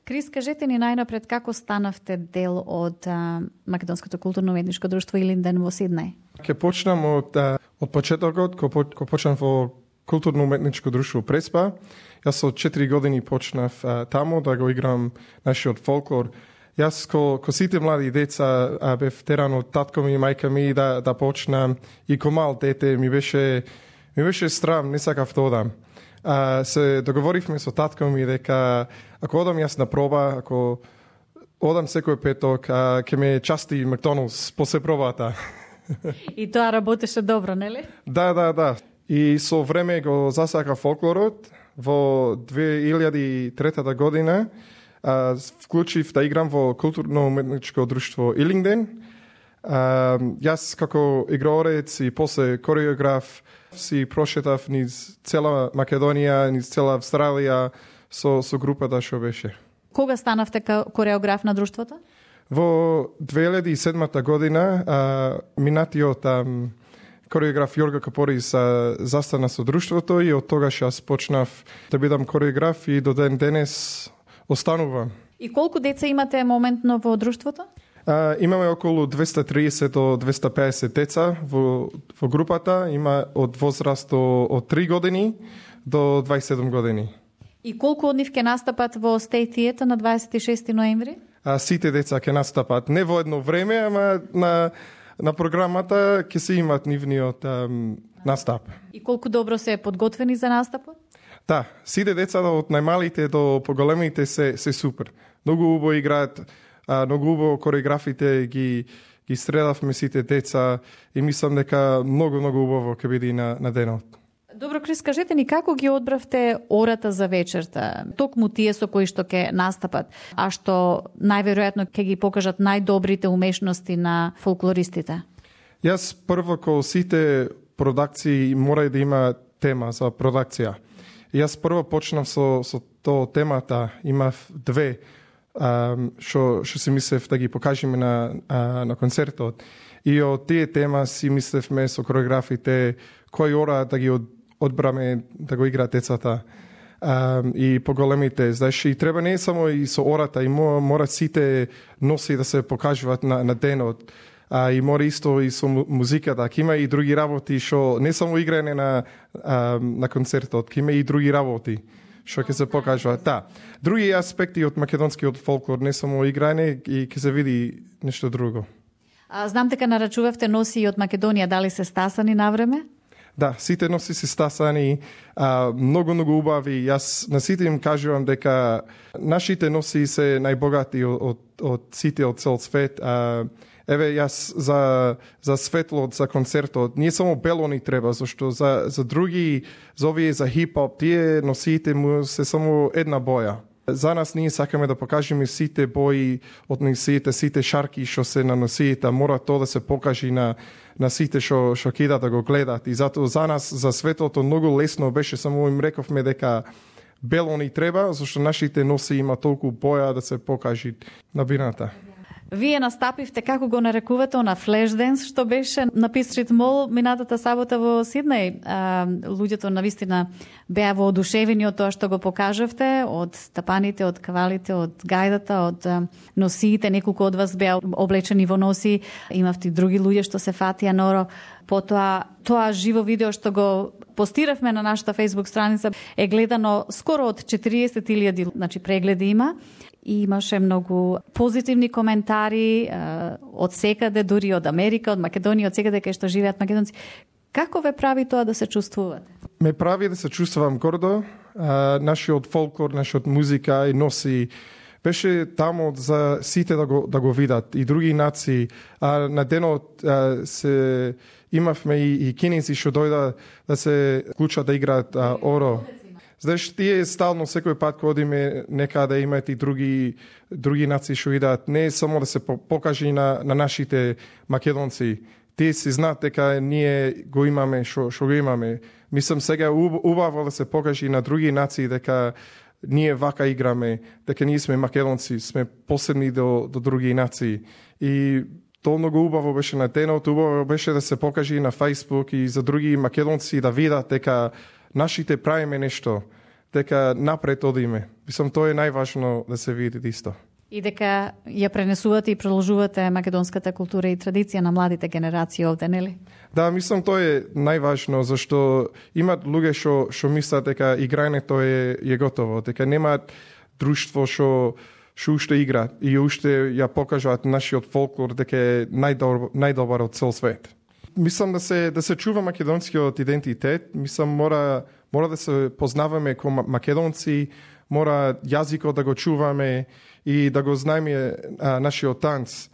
Крис, кажете ни најнапред како станавте дел од Македонското културно-уметничко друштво Илинден во Сиднеј? Ке почнам од почетокот, кога почнав во културно-уметничко друштво Преспа. Јас со 4 години почнав таму да го играм нашиот фолклор. Јас ко сите млади деца бев теран од татко ми и мајка ми да почнам, и ко мал дете ми беше страм, не сакав да одам. Се договоривме со татко ми дека ако одам јас на проба, ако одам секој петок, ќе ме части Макдоналдс после пробата. И тоа работеше добро, нели? Да. И со време го засака фолклорот. Во 2003 година вклучив да играм во културно-уметничко друштво Илинден. Јас како играорец и после кореограф си прошетав низ цела Македонија, низ цела Австралија со групата што беше. Кога станавте кореограф на друштвото? Во 2007 година минатиот кореограф Јорга Капорис застана со друштвото и од тогаш јас почнав да бидам кореограф и до ден денес останувам. И колку деца имате моментно во друштвото? Имаме околу 230 до 250 деца во групата. Има од возраст од 3 години до 27 години. И колку од нив ќе настапат во State Theatre на 26 ноември? Сите деца ќе настапат не во едно време, ама на програмата ќе се имат нивниот настап. И колку добро се подготвени за настапот? Да, сите деца од најмалите до поголемите се супер. Многу убаво играат, многу убаво кореографите ги средавме сите деца и мислам дека многу убаво ќе биде на денот. Добро, Крис, кажете ни како ги одбравте ората за вечерта? Токму тие со кои што ќе настапат, а што најверојатно ќе ги покажат најдобрите умешности на фолклористите? Јас прво ко сите продакции мора да има тема за продакција. Јас прво почнав со тоа темата, имав 2 што си мислев да ги покажеме на концертот. И од тие тема си мислевме со кореографите кој ора да ги одбраме да го играат децата и поголемите. Знаеш, и треба не само и со ората, и мора сите носи да се покажуваат на денот. И мора исто и со музиката. Ке има и други работи што не само играње на концертот, ке има и други работи што ќе се покажуваат. Да. Други аспекти од македонскиот фолклор, не само играње, и ќе се види нешто друго. Знам дека нарачувавте носи од Македонија, дали се стасани на време? Да, сите носи се стасани, многу убави. Јас на сите им кажувам дека нашите носи се најбогати од сите од цел свет. Еве, јас за светлот, за концертот, не само бело ни треба, зашто за други, за овие за хип-хоп, тие носиите му се само една боја. За нас ние сакаме да покажеме сите бои од носиите, сите шарки што се на носиите, мора тоа да се покажи на сите што кидат да го гледат. И затоа за нас, за светото, многу лесно беше, само им рековме дека бело ни треба, зашто нашите носи има толку боја да се покажи на бината. Вие настапивте, како го нарекувате, на флешденс, што беше на Пис Стрит Мол минатата сабота во Сиднеј. Луѓето навистина беа воодушевени од тоа што го покажавте, од тапаните, од кавалите, од гајдата, од носиите. Неколку од вас беа облечени во носи, имавте други луѓе што се фатија норо. Потоа, тоа живо видео што го постиравме на нашата Facebook страница е гледано скоро од 40.000, значи прегледи има. И имаше многу позитивни коментари од секаде, дури од Америка, од Македонија, од секаде кај што живеат македонци. Како ве прави тоа да се чувствувате? Ме прави да се чувствувам гордо. Нашиот фолклор, нашиот музика и носи беше таму за сите да го видат и други нации. На денот се имавме и кинеси што дојда да се вклучат да играат оро. Знаеш, тие стално секој пат кога одиме некаде имаат и други нации што идат, не само да се покажи на нашите македонци. Тие си знаат дека ние го имаме што го имаме. Мислам сега убаво да се покажи на други нации дека ние вака играме, дека ние сме македонци, сме посебни до други нации. И тоа многу убаво беше на денот, убаво беше да се покажи на Facebook и за други македонци да видат дека нашите правиме нешто. дека напред одиме. Мислам, тоа е најважно да се види исто. И дека ја пренесувате и продолжувате македонската култура и традиција на младите генерации овде, нели? Да, мислам тоа е најважно, зашто имат луѓе што мислат дека играњето е готово, дека немаат друштво што уште игра и уште ја покажуваат нашиот фолклор дека е најдобар од цел свет. Мислам да се чува македонскиот идентитет, мислам мора да се познаваме како македонци, мора јазикот да го чуваме и да го знаеме нашиот танц.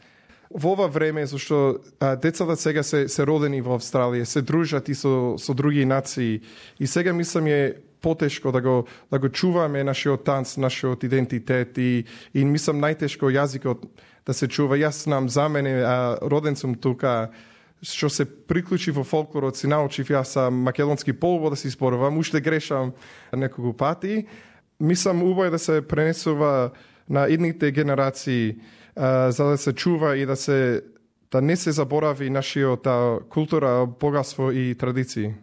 Во ова време, зашто децата сега се родени во Австралија, се дружат и со други нации, и сега мислам е потешко да го чуваме нашиот танц, нашиот идентитет и мислам најтешко јазикот да се чува. Јас знам за мене, роден сум тука, што се приклучи во фолклорот, си научив јас македонски полубо да си зборувам, уште грешам неколку пати. Мислам убаво да се пренесува на идните генерации, за да се чува и да не се заборави нашиот култура, богатство и традиции.